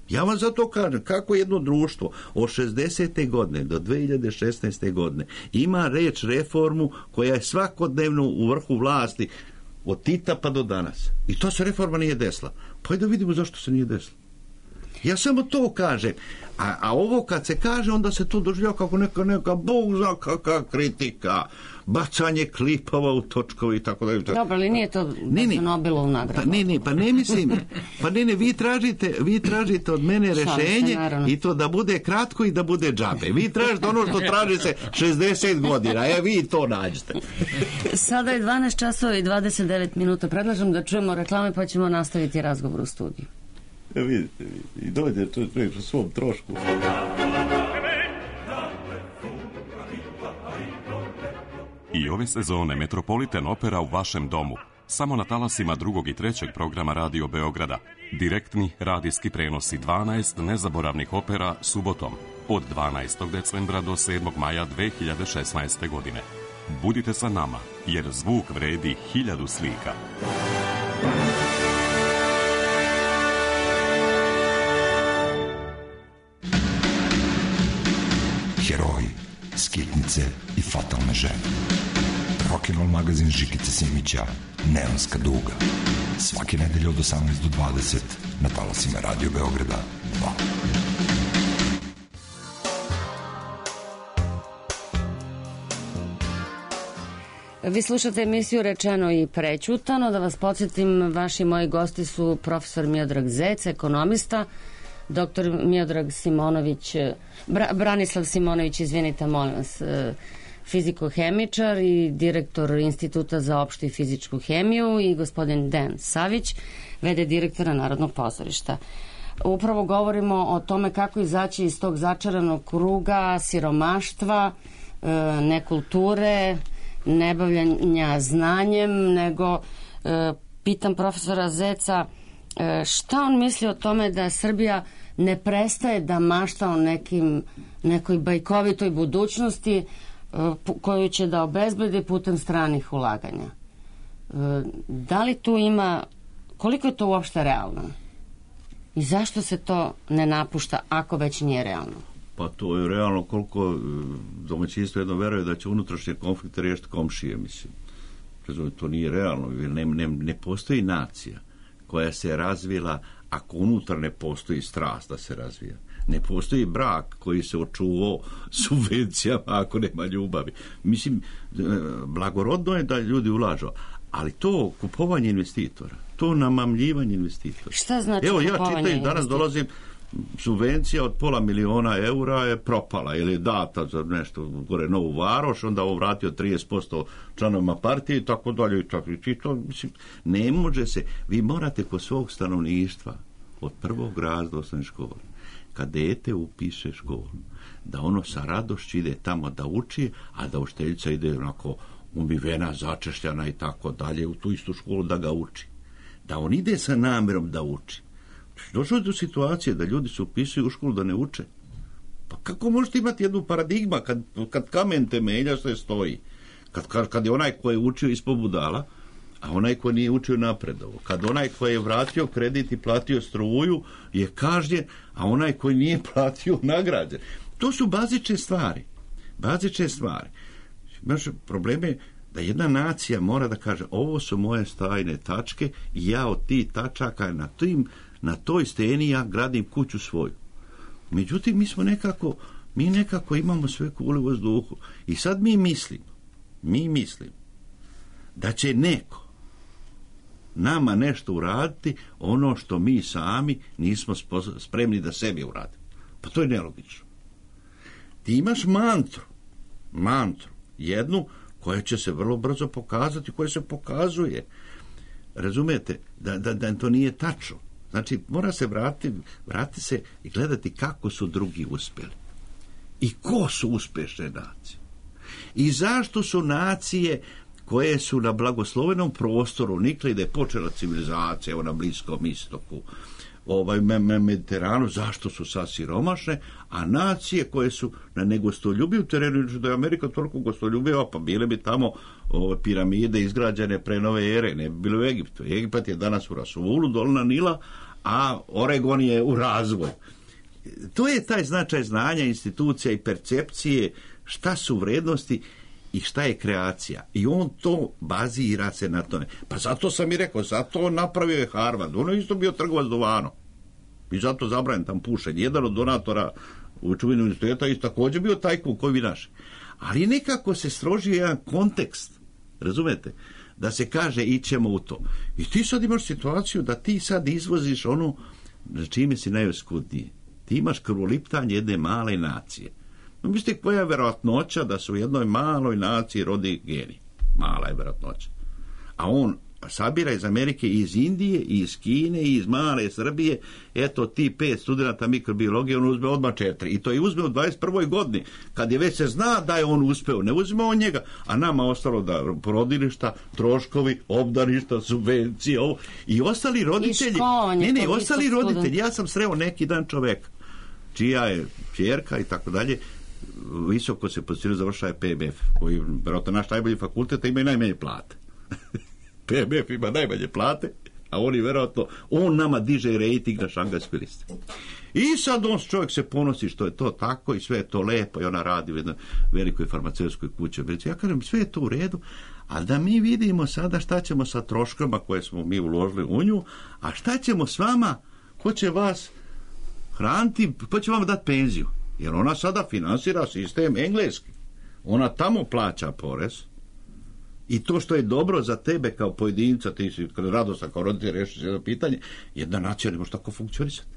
Ja vam zato kažem, kako jedno društvo od šezdesete godine do dve hiljade šesnaeste godine ima reč reformu koja je svakodnevno u vrhu vlasti od Tita pa do danas. I to se reforma nije desila. Pa da vidimo zašto se nije desila. Ja samo to kažem. A, a ovo kad se kaže, onda se to doživljava kako neka, neka, Bog zna kakva kritika. bacanje klipova u točkove i tako dalje. Dobro, ali nije to za Nobelovu nagradu. Pa ne, ne, pa ne mislim, pa ne, ne, vi tražite, vi tražite od mene rešenje i to da bude kratko i da bude džabe. Vi tražite ono što traži se šezdeset godina, e vi to nađete. Sada je dvanaest časova i dvadeset devet minuta. Predlažem da čujemo reklame pa ćemo nastaviti razgovor u studiju. E, vidite, i dođe čovjek u svom trošku. I ove sezone Metropolitan Opera u vašem domu. Samo na talasima drugog i trećeg programa Radio Beograda. Direktni radijski prenosi dvanaest nezaboravnih opera subotom od dvanaestog decembra do sedmog maja dve hiljade šesnaeste. godine. Budite sa nama, jer zvuk vredi hiljadu slika. Heroji, skitnice i fatalne žene. Rock'n'roll magazin Žikice Simića, Neonska duga. Svake nedelje od osamnaest do dvadeset na talasima Radio Beograda dva. Vi slušate emisiju Rečeno i prećutano. Da vas podsjetim, vaši moji gosti su profesor Miodrag Zec, ekonomista, doktor Miodrag Simonović, Bra, Branislav Simonović, izvinite, molim vas, fizikohemičar i direktor Instituta za opštu i fizičku hemiju, i gospodin Dejan Savić, v d direktora Narodnog pozorišta. Upravo govorimo o tome kako izaći iz tog začaranog kruga siromaštva, nekulture, nebavljanja znanjem, nego e, pitam profesora Zeca e, šta on misli o tome da Srbija ne prestaje da mašta o nekim, nekoj bajkovitoj budućnosti e, koju će da obezbedi putem stranih ulaganja. E, da li tu ima, koliko je to uopšte realno? I zašto se to ne napušta ako već nije realno? Pa to je realno koliko domaćinstvo jedno veruje da će unutrašnje konflikte riješiti komšije, mislim. To nije realno, ne, ne, ne postoji nacija koja se razvila ako unutar ne postoji strast da se razvija. Ne postoji brak koji se očuvao subvencijama ako nema ljubavi. Mislim, blagorodno je da ljudi ulažu, ali to kupovanje investitora, to namamljivanje investitora. Šta znači Evo, kupovanje ja čitam, danas dolazim, subvencija od pola miliona eura je propala ili je data za nešto gore Novu Varoš, onda ovo vratio trideset posto članovima partije i tako dalje i tako. I to, mislim, ne može se, vi morate kod svog stanovništva od prvog razreda osnovne škole, kad dete upiše školu, da ono sa radošću ide tamo da uči, a da učiteljica ide onako umivena, začešljana i tako dalje u tu istu školu da ga uči. Da on ide sa namjerom da uči. Došlo je do situacije da ljudi se upisuju u školu da ne uče. Pa kako možete imati jednu paradigma kad, kad kamen temelja sve stoji? Kad, kad, kad je onaj ko je učio ispod budala, a onaj ko nije učio napredovo. Kad onaj ko je vratio kredit i platio struju je kažnjen, a onaj koji nije platio nagrađen. To su bazične stvari. Bazične stvari. Naš problem je da jedna nacija mora da kaže ovo su moje stajne tačke i ja od tih tačaka na tim na toj steni ja gradim kuću svoju. Međutim, mi smo nekako, mi nekako imamo sve kule u vazduhu. I sad mi mislimo, mi mislimo da će neko nama nešto uraditi ono što mi sami nismo spremni da sebi uradimo. Pa to je nelogično. Ti imaš mantru, mantru, jednu koja će se vrlo brzo pokazati, koja se pokazuje. Razumete, da, da, da to nije tačno. Znači, mora se vratiti, vratiti se i gledati kako su drugi uspjeli. I ko su uspješne nacije. I zašto su nacije koje su na blagoslovenom prostoru nikli da je počela civilizacija, evo na Bliskom istoku, ovaj Mediteranu, zašto su sad siromašne, a nacije koje su na negostoljubivu terenu, da je Amerika toliko gostoljubiva, pa bile bi tamo ove piramide izgrađene pre nove ere, ne bi bilo u Egiptu. Egipat je danas u rasulu, dolna Nila, a Oregon je u razvoju. To je taj značaj znanja, institucija i percepcije, šta su vrednosti i šta je kreacija. I on to bazira se na tome. Pa zato sam i rekao, zato napravio je Harvard. Ono je isto bio trgovac duvanom. I zato zabranjen tam pušenje. Jedan od donatora u čuvinu universiteta je također bio tajkun koji vi naši. Ali nekako se strožio jedan kontekst, razumete, da se kaže ićemo u to. I ti sad imaš situaciju da ti sad izvoziš ono na čime si najoskudniji. Ti imaš krvoliptanje jedne male nacije. Mislite koja je verovatnoća da se u jednoj maloj naciji rodi genij? Mala je verovatnoća. A on sabira iz Amerike, iz Indije, iz Kine, iz male Srbije, eto ti pet studenta mikrobiologije, on uzme odmah četiri. I to je uzme u dvadeset prvoj godini, kad je već se zna da je on uspeo. Ne uzme on njega, a nama ostalo da porodilišta, troškovi, obdaništa, subvencije, ovo. I ostali roditelji, ne, ne, ostali roditelji, ja sam sreo neki dan čoveka, čija je ćerka i tako dalje, visoko se pozicionira, završava P B F, koji, vjerojatno, naš najbolji fakultet, ima i najmanje plate. P B F ima najmanje plate, a oni vjerojatno, on nama diže rejting na šangajskoj listi. I sad on čovjek se ponosi što je to tako i sve je to lepo i ona radi u jednoj velikoj farmaceutskoj kući. Ja kažem, sve je to u redu, a da mi vidimo sada šta ćemo sa troškama koje smo mi uložili u nju, a šta ćemo s vama, ko će vas hraniti, ko će vam dati penziju. Jer ona sada finansira sistem engleski. Ona tamo plaća porez. I to što je dobro za tebe kao pojedinca, ti si radostan kao roditelj rešiš jedno pitanje, jedna nacija ne može tako funkcionisati.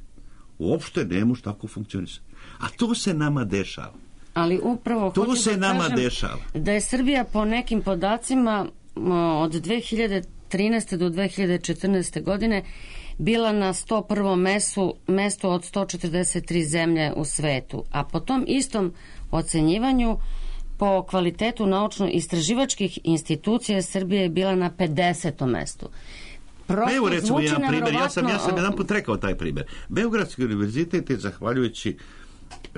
Uopšte ne može tako funkcionisati. A to se nama dešava. Ali upravo to se da nama kažem dešava. Da je Srbija po nekim podacima od dve hiljade trinaeste do dve hiljade četrnaeste godine bila na sto prvom mestu, mestu od sto četrdeset tri zemlje u svetu. A po tom istom ocenjivanju po kvalitetu naučno-istraživačkih institucija Srbije je bila na pedesetom mestu. Prosto evo recimo jedan primjer, nevjerovatno... ja sam, ja sam jedan put rekao taj primjer. Beogradski univerzitet je, zahvaljujući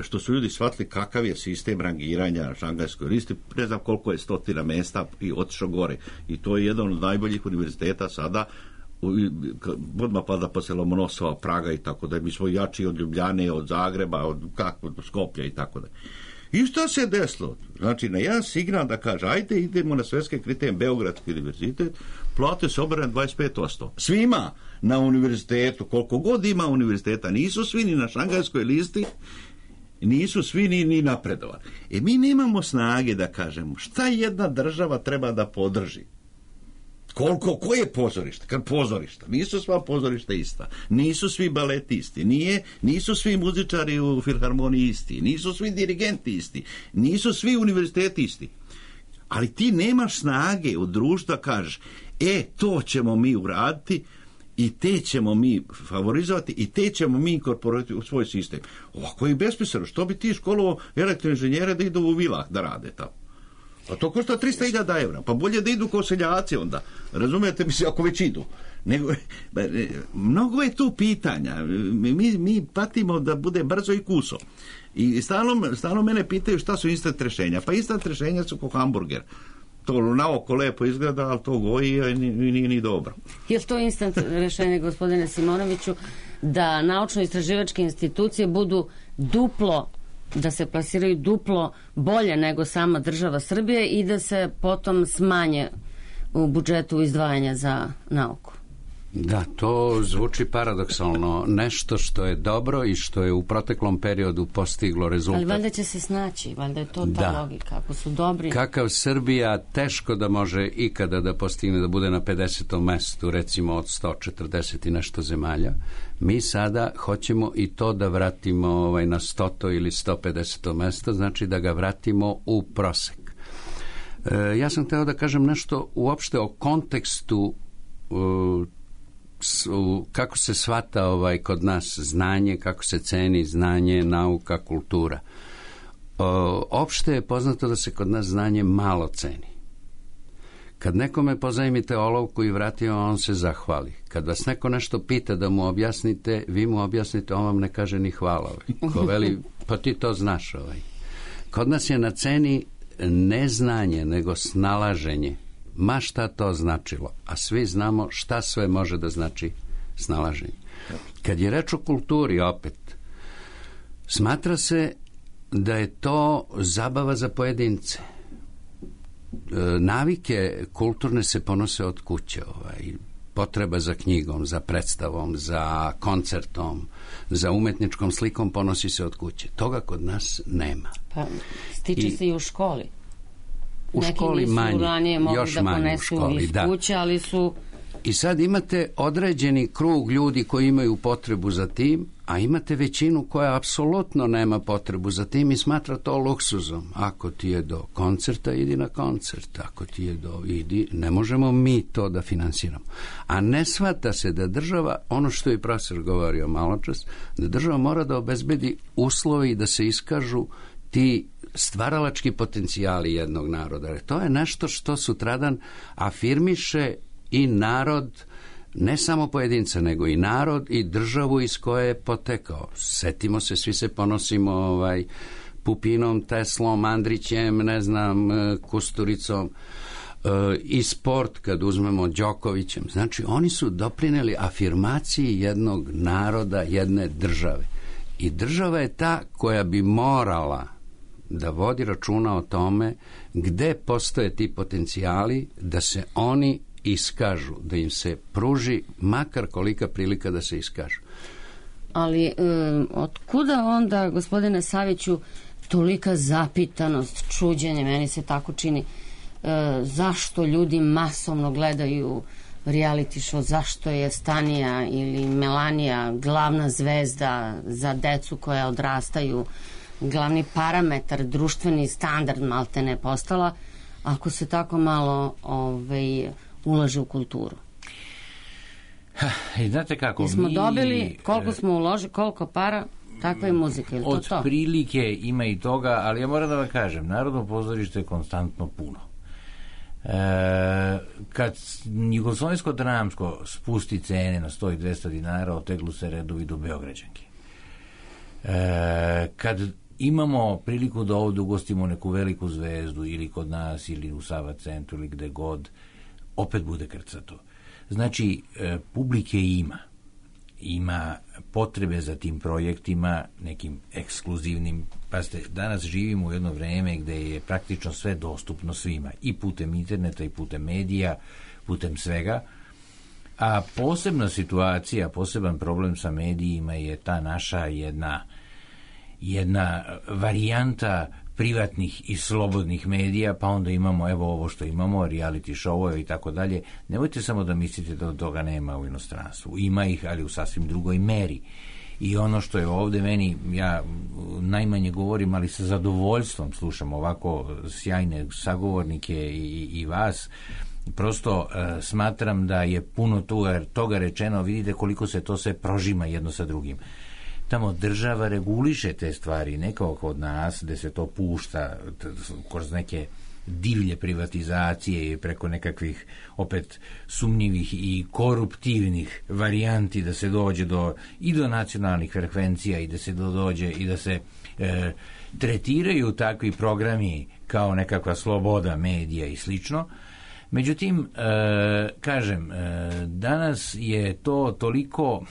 što su ljudi shvatili kakav je sistem rangiranja na šangajskoj listi, ne znam koliko je stotina mesta i otišao gore. I to je jedan od najboljih univerziteta sada, odmah pada posle Lomonosova, Praga i tako da. Mi smo jači od Ljubljane, od Zagreba, od kako, do Skoplja i tako da. I što se desilo? Znači, na jedan signal da kaže, ajde, idemo na svetske kriterije, Beogradski univerzitet, plate se obrane dvadeset pet posto. Svima na univerzitetu, koliko god ima univerziteta, nisu svi ni na šangajskoj listi, nisu svi ni, ni napredovali. E mi nemamo snage da kažemo šta jedna država treba da podrži. Koliko, koje je pozorište? Kad pozorišta? Nisu sva pozorišta ista. Nisu svi baleti isti. Nije, nisu svi muzičari u filharmoniji isti. Nisu svi dirigenti isti. Nisu svi univerziteti isti. Ali ti nemaš snage u društvu da kažeš, e, to ćemo mi uraditi i te ćemo mi favorizovati i te ćemo mi inkorporirati u svoj sistem. Ovako je besmisleno. Što bi ti školovao elektroinženjere da idu u vilah da rade tamo? Pa to košta trista hiljada evra. Pa bolje da idu kao seljaci onda. Razumijete, mislim, ako već idu. Nego, mnogo je tu pitanja. Mi, mi patimo da bude brzo i kuso. I stalno, stalno mene pitaju šta su instant rešenja. Pa instant rešenja su kao hamburger. To naoko lepo izgleda, ali to goji i nije ni dobro. Je li to instant rešenje, gospodine Simonoviću, da naučno-istraživačke institucije budu duplo, da se plasiraju duplo bolje nego sama država Srbije i da se potom smanje u budžetu izdvajanja za nauku? Da, to zvuči paradoksalno. Nešto što je dobro i što je u proteklom periodu postiglo rezultat. Ali valjda će se snaći, valjda je to ta da. logika. Ako su dobri... Kakav Srbija teško da može ikada da postigne da bude na pedesetom mestu, recimo od sto četrdeset i nešto zemalja. Mi sada hoćemo i to da vratimo ovaj, na stoto ili sto pedeseto mesto, znači da ga vratimo u prosek. E, ja sam hteo da kažem nešto uopšte o kontekstu uh, kako se shvata ovaj kod nas znanje, kako se ceni znanje, nauka, kultura. O, opšte je poznato da se kod nas znanje malo ceni. Kad nekome pozajmite olovku i vratio, on se zahvali. Kad vas neko nešto pita da mu objasnite, vi mu objasnite, on vam ne kaže ni hvala. Ovaj. Ko veli, pa ti to znaš. Ovaj. Kod nas je na ceni ne znanje, nego snalaženje. Ma šta to značilo, a svi znamo šta sve može da znači snalaženje. Kad je reč o kulturi opet, smatra se da je to zabava za pojedince. E, navike kulturne se ponose od kuće, ovaj, potreba za knjigom, za predstavom, za koncertom, za umetničkom slikom ponosi se od kuće. Toga kod nas nema. Pa stiče I, se i u školi. u neki školi manje. Neki nisu ranije mogli još da ponesu školi, iz da. kuće, ali su... I sad imate određeni krug ljudi koji imaju potrebu za tim, a imate većinu koja apsolutno nema potrebu za tim i smatra to luksuzom. Ako ti je do koncerta, idi na koncert. Ako ti je do... idi, ne možemo mi to da finansiramo. A ne shvata se da država, ono što je profesor govorio malo čas, da država mora da obezbedi uslovi da se iskažu ti stvaralački potencijali jednog naroda. Jer to je nešto što sutradan afirmiše i narod, ne samo pojedinca, nego i narod i državu iz koje je potekao. Setimo se, svi se ponosimo ovaj, Pupinom, Teslom, Andrićem, ne znam, Kusturicom, e, i sport, kad uzmemo Đokovićem. Znači, oni su doprineli afirmaciji jednog naroda, jedne države. I država je ta koja bi morala da vodi računa o tome gde postoje ti potencijali, da se oni iskažu, da im se pruži makar kolika prilika da se iskažu. Ali e, od kuda onda, gospodine Saviću, tolika zapitanost, čuđenje, meni se tako čini, e, zašto ljudi masovno gledaju reality show, zašto je Stanija ili Melanija glavna zvezda za decu koja odrastaju, glavni parametar, društveni standard maltene postala, ako se tako malo ovaj, ulaže u kulturu. I znate kako, I smo mi... dobili, koliko smo uložili, koliko para, takva je muzika, ili to od to? Od prilike ima i toga, ali ja moram da vam kažem, Narodno pozorište je konstantno puno. E, kad Jugoslovensko dramsko spusti cene na sto i dvesta dinara, oteglu se redovi do Beograđanke. E, kad imamo priliku da ovdje ugostimo neku veliku zvezdu ili kod nas ili u Sava centru ili gde god, opet bude krcato. Znači, e, publike ima. Ima potrebe za tim projektima, nekim ekskluzivnim. Pazite, danas živimo u jedno vreme gde je praktično sve dostupno svima. I putem interneta, i putem medija, putem svega. A posebna situacija, poseban problem sa medijima je ta naša jedna jedna varijanta privatnih i slobodnih medija, pa onda imamo evo ovo što imamo, reality show i tako dalje. Nemojte samo da mislite da toga nema u inostranstvu. Ima ih, ali u sasvim drugoj meri. I ono što je ovde meni, ja najmanje govorim, ali sa zadovoljstvom slušam ovako sjajne sagovornike i, i vas, prosto uh, smatram da je puno toga, toga rečeno, vidite koliko se to sve prožima jedno sa drugim. Tamo država reguliše te stvari, ne kao kod nas, gde se to pušta kroz neke divlje privatizacije i preko nekakvih opet sumnjivih i koruptivnih varijanti da se dođe do i do nacionalnih frekvencija i da se do, dođe i da se e, tretiraju takvi programi kao nekakva sloboda medija i slično. Međutim, e, kažem, e, danas je to toliko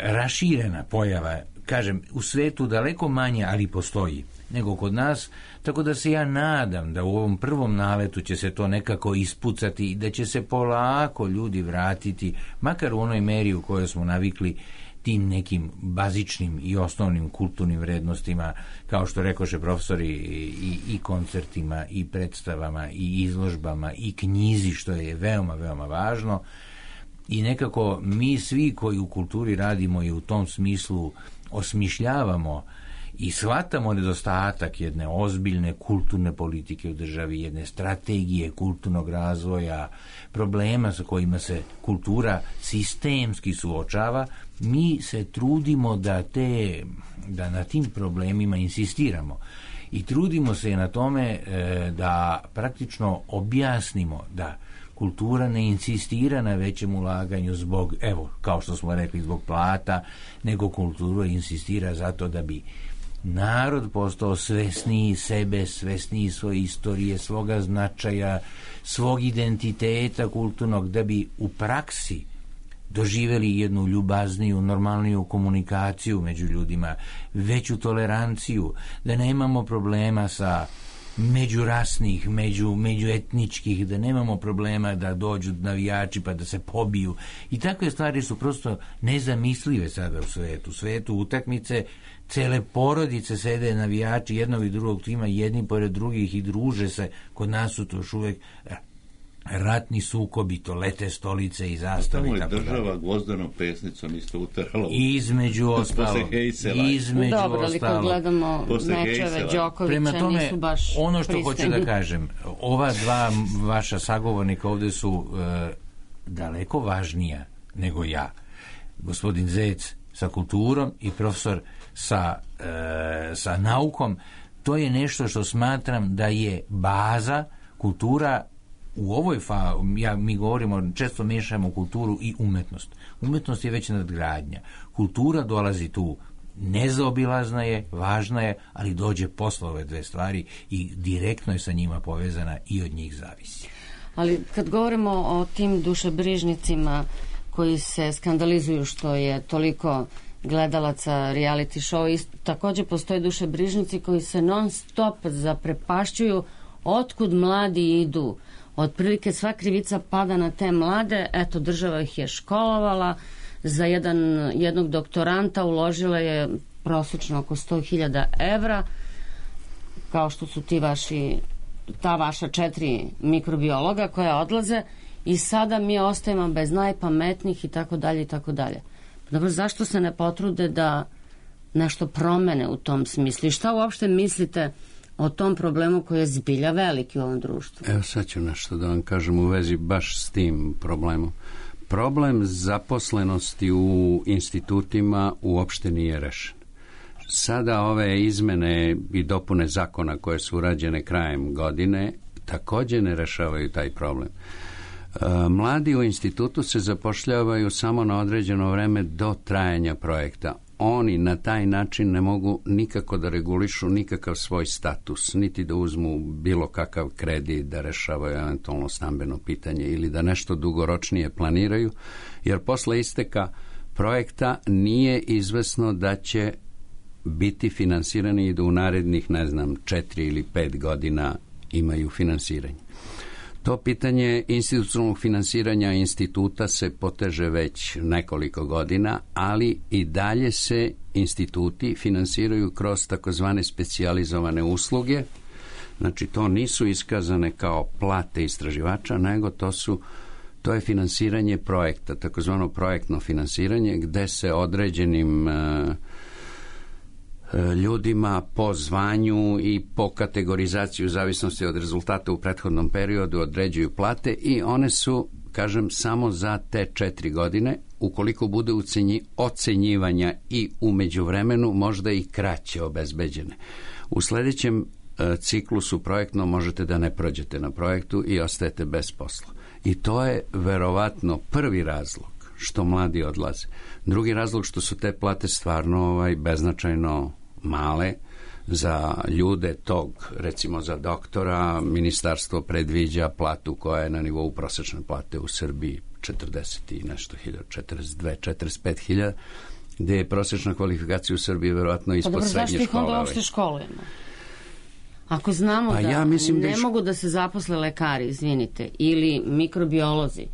raširena pojava, kažem, u svetu daleko manje, ali postoji, nego kod nas, tako da se ja nadam da u ovom prvom naletu će se to nekako ispucati i da će se polako ljudi vratiti, makar u onoj meri u kojoj smo navikli tim nekim bazičnim i osnovnim kulturnim vrednostima, kao što rekoše profesori, i, i koncertima, i predstavama, i izložbama, i knjizi, što je veoma, veoma važno. I nekako mi svi koji u kulturi radimo i u tom smislu osmišljavamo i shvatamo nedostatak jedne ozbiljne kulturne politike u državi, jedne strategije kulturnog razvoja, problema sa kojima se kultura sistemski suočava, mi se trudimo da, te, da na tim problemima insistiramo. I trudimo se na tome e, da praktično objasnimo da kultura ne insistira na većem ulaganju zbog, evo, kao što smo rekli, zbog plata, nego kultura insistira zato da bi narod postao svesniji sebe, svesniji svoje istorije, svoga značaja, svog identiteta kulturnog, da bi u praksi doživjeli jednu ljubazniju, normalniju komunikaciju među ljudima, veću toleranciju, da nemamo problema sa međurasnih, među, međuetničkih, da nemamo problema da dođu navijači pa da se pobiju. I takve stvari su prosto nezamislive sada u svetu. U svetu utakmice, cele porodice sede navijači jednog i drugog tima, jedni pored drugih i druže se. Kod nas su to još uvek ratni sukobi, to lete stolice i zastave. Tamo je država gvozdanom pesnicom isto uterala. Između ostalo. Između Dobro, ali ostalo. Kad gledamo mečeve Đokovića, tome, nisu baš ono što pristojni. hoću da kažem, ova dva vaša sagovornika ovde su e, daleko važnija nego ja. Gospodin Zec sa kulturom i profesor sa, e, sa naukom. To je nešto što smatram da je baza. Kultura u ovoj fa, ja, mi govorimo, često miješamo kulturu i umetnost. Umetnost je već nadgradnja. Kultura dolazi tu, nezaobilazna je, važna je, ali dođe posle ove dve stvari i direktno je sa njima povezana i od njih zavisi. Ali kad govorimo o tim dušebrižnicima koji se skandalizuju što je toliko gledalaca reality show, takođe postoje dušebrižnici koji se non stop zaprepašćuju otkud mladi idu. Otprilike sva krivica pada na te mlade, eto država ih je školovala, za jedan, jednog doktoranta uložila je prosečno oko sto hiljada evra, kao što su ti vaši, ta vaša četiri mikrobiologa koja odlaze i sada mi ostajemo bez najpametnijih i tako dalje i tako dalje. Dobro, zašto se ne potrude da nešto promene u tom smislu? I šta uopšte mislite o tom problemu koji je zbilja veliki u ovom društvu? Evo sad ću nešto da vam kažem u vezi baš s tim problemom. Problem zaposlenosti u institutima uopšte nije rešen. Sada ove izmene i dopune zakona koje su urađene krajem godine takođe ne rešavaju taj problem. Mladi u institutu se zapošljavaju samo na određeno vreme do trajanja projekta. Oni na taj način ne mogu nikako da regulišu nikakav svoj status, niti da uzmu bilo kakav kredit, da rešavaju eventualno stambeno pitanje ili da nešto dugoročnije planiraju, jer posle isteka projekta nije izvesno da će biti finansirani i da u narednih, ne znam, četiri ili pet godina imaju finansiranje. To pitanje institucionalnog finansiranja instituta se poteže već nekoliko godina, ali i dalje se instituti finansiraju kroz takozvane specijalizovane usluge. Znači, to nisu iskazane kao plate istraživača, nego to su to je finansiranje projekta, takozvano projektno finansiranje, gde se određenim uh, ljudima po zvanju i po kategorizaciji u zavisnosti od rezultata u prethodnom periodu određuju plate i one su, kažem, samo za te četiri godine. Ukoliko bude ucenji, ocenjivanja i u međuvremenu možda i kraće obezbeđene. U sledećem e, ciklusu projektno možete da ne prođete na projektu i ostajete bez posla. I to je verovatno prvi razlog što mladi odlaze. Drugi razlog što su te plate stvarno ovaj, beznačajno male za ljude tog, recimo za doktora, ministarstvo predviđa platu koja je na nivou prosečne plate u Srbiji četrdeset i nešto hiljada, četrdeset dve, četrdeset pet hiljada, gde je prosečna kvalifikacija u Srbiji verovatno ispod pa srednje škole. Zašto ih onda uopšte školujemo? Ako znamo pa da ja mislim ne da iš... mogu da se zaposle lekari, izvinite, ili mikrobiolozi,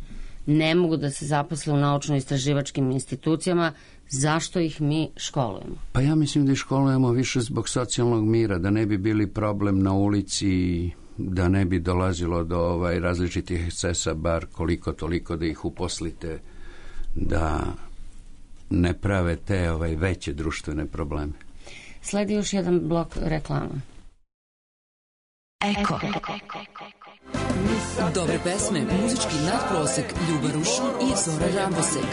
ne mogu da se zaposle u naučno-istraživačkim institucijama, zašto ih mi školujemo? Pa ja mislim da ih školujemo više zbog socijalnog mira, da ne bi bili problem na ulici, da ne bi dolazilo do ovaj, različitih ekscesa, bar koliko toliko da ih uposlite, da ne prave te ovaj, veće društvene probleme. Sledi još jedan blok reklama. Eko. Dobre pesme, muzički nadprosek, Ljuba Rušin i Zora Rambosek.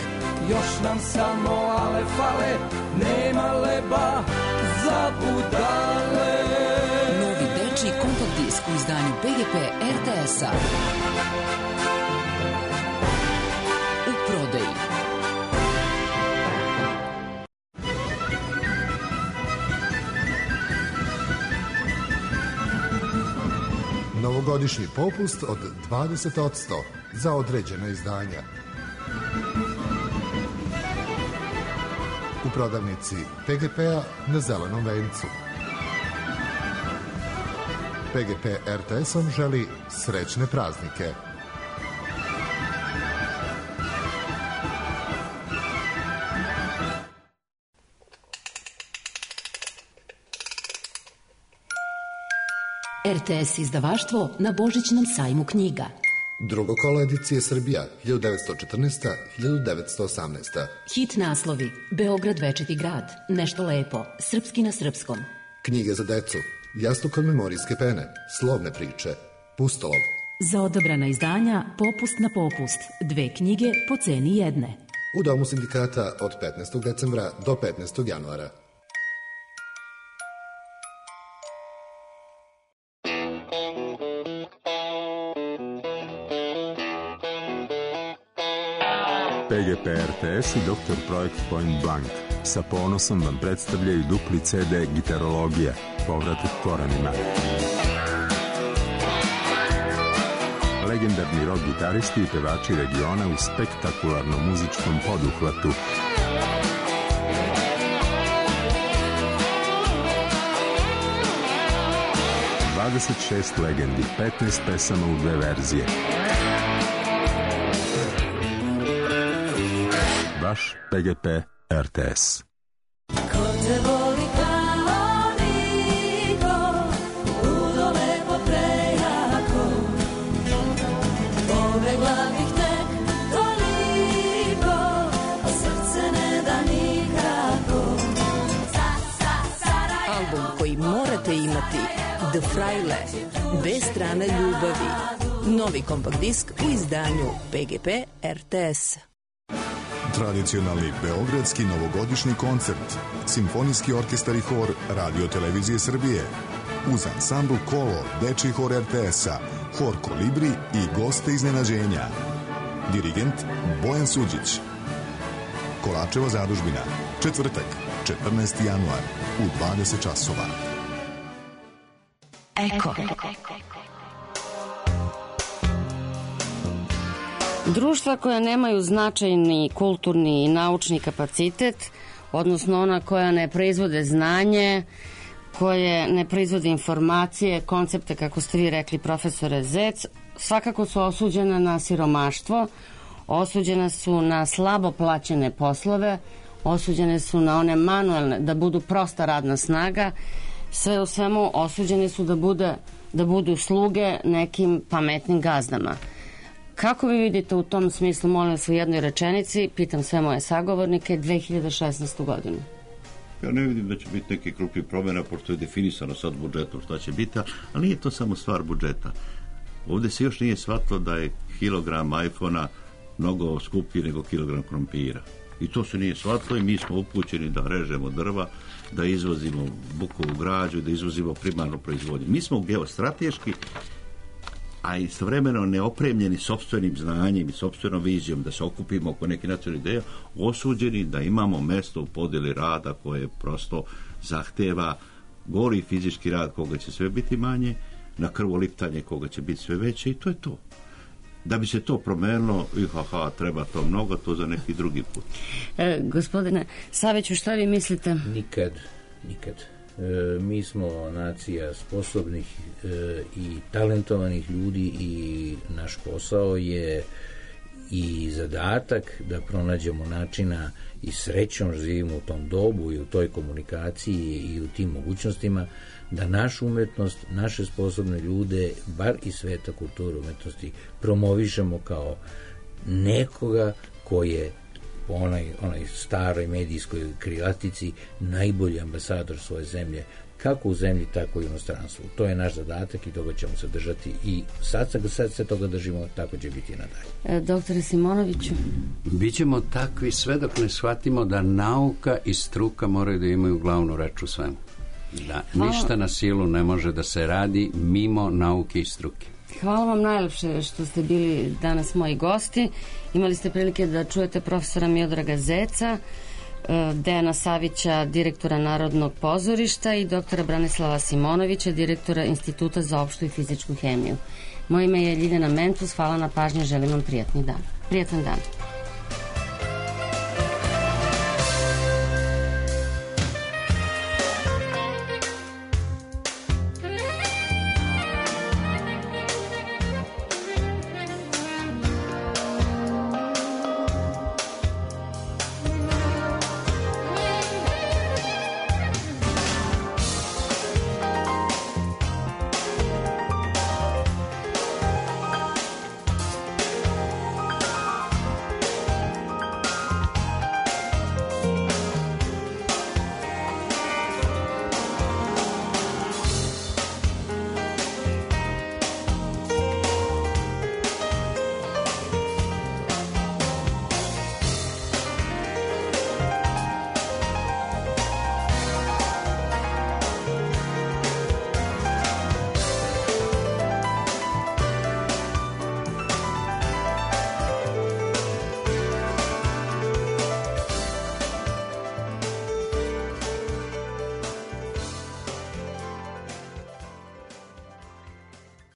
Još nam samo ale fale, nema leba za budale. Novi dečiji kompakt disk u izdanju P G P R T S-a. U prodaji. Novogodišnji popust od dvadeset odsto za određena izdanja. U prodavnici P G P-a na Zelenom vencu. P G P R T S-om želi srećne praznike. R T S izdavaštvo na Božićnom sajmu knjiga. Drugo kolo edicije Srbija, hiljadu devetsto četrnaesta do hiljadu devetsto osamnaesta. Hit naslovi: Beograd večiti grad, Nešto lepo, Srpski na srpskom. Knjige za decu, Jastuk od memorijske pene, Slovne priče, Pustolov. Za odabrana izdanja Popust na popust, dve knjige po ceni jedne. U Domu sindikata od petnaestog decembra do petnaestog januara. P G P R T S i doktor Projekt Point Blank sa ponosom vam predstavljaju dupli C D Gitarologija, povratak korenima. Legendarni rock gitaristi i pevači regiona u spektakularnom muzičkom poduhvatu. dvadeset šest legendi, petnaest pesama u dve verzije. Vaš P G P R T S. Ko te voli kao niko, ludo lepo prejako, pobegla bih tek toliko, a srce ne da nikako. Album koji morate imati: The Fraile, dve strane ljubavi. Novi kompakt disk u izdanju P G P R T S. Tradicionalni beogradski novogodišnji koncert, Simfonijski orkestar i hor Radio Televizije Srbije, uz ansambl Kolo, Dečiji hor R T S-a, hor Kolibri i goste iznenađenja. Dirigent Bojan Suđić. Kolačeva zadužbina, četvrtak, četrnaesti januar, u dvadeset časova. Eko. Društva koja nemaju značajni kulturni i naučni kapacitet, odnosno ona koja ne proizvode znanje, koje ne proizvode informacije, koncepte, kako ste vi rekli, profesore Zec, svakako su osuđene na siromaštvo, osuđene su na slabo plaćene poslove, osuđene su na one manuelne, da budu prosta radna snaga, sve u svemu osuđene su da, bude, da budu sluge nekim pametnim gazdama. Kako vi vidite u tom smislu, molim vas u jednoj rečenici, pitam sve moje sagovornike, dve hiljade šesnaestu godinu? Ja ne vidim da će biti neki krupni promjena, pošto je definisano sad budžetom šta će biti, ali nije to samo stvar budžeta. Ovdje se još nije shvatilo da je kilogram iPhona mnogo skuplji nego kilogram krompira. I to se nije shvatilo i mi smo upućeni da režemo drva, da izvozimo bukovu građu, da izvozimo primarnu proizvodnju. Mi smo geostrateški, a istovremeno neopremljeni sopstvenim znanjem i sopstvenom vizijom da se okupimo oko neke nacionalne ideje, osuđeni da imamo mesto u podjeli rada koje prosto zahteva gori fizički rad koga će sve biti manje, na krvoliptanje koga će biti sve veće i to je to. Da bi se to promenilo, ihaha, treba to mnogo, to za neki drugi put. E, gospodine Saviću, šta vi mislite? Nikad, nikad. E, mi smo nacija sposobnih e, i talentovanih ljudi i naš posao je i zadatak da pronađemo načina i srećom živimo u tom dobu i u toj komunikaciji i u tim mogućnostima da našu umetnost, naše sposobne ljude, bar i sveta kulture umetnosti, promovišemo kao nekoga ko je po onaj, onaj staroj medijskoj krilatici najbolji ambasador svoje zemlje, kako u zemlji, tako i u inostranstvu. To je naš zadatak i toga ćemo se držati i sad, sad se toga držimo, tako će biti i nadalje. E, doktore Simonoviću? Bićemo takvi sve dok ne shvatimo da nauka i struka moraju da imaju glavnu reč u svemu. Da Hvala. Ništa na silu ne može da se radi mimo nauke i struke. Hvala vam najlepše što ste bili danas moji gosti. Imali ste prilike da čujete profesora Miodraga Zeca, Dejana Savića, direktora Narodnog pozorišta i doktora Branislava Simonovića, direktora Instituta za opštu i fizičku hemiju. Moje ime je Ljiljana Mentus, hvala na pažnji, želim vam prijatni dan. Prijatan dan.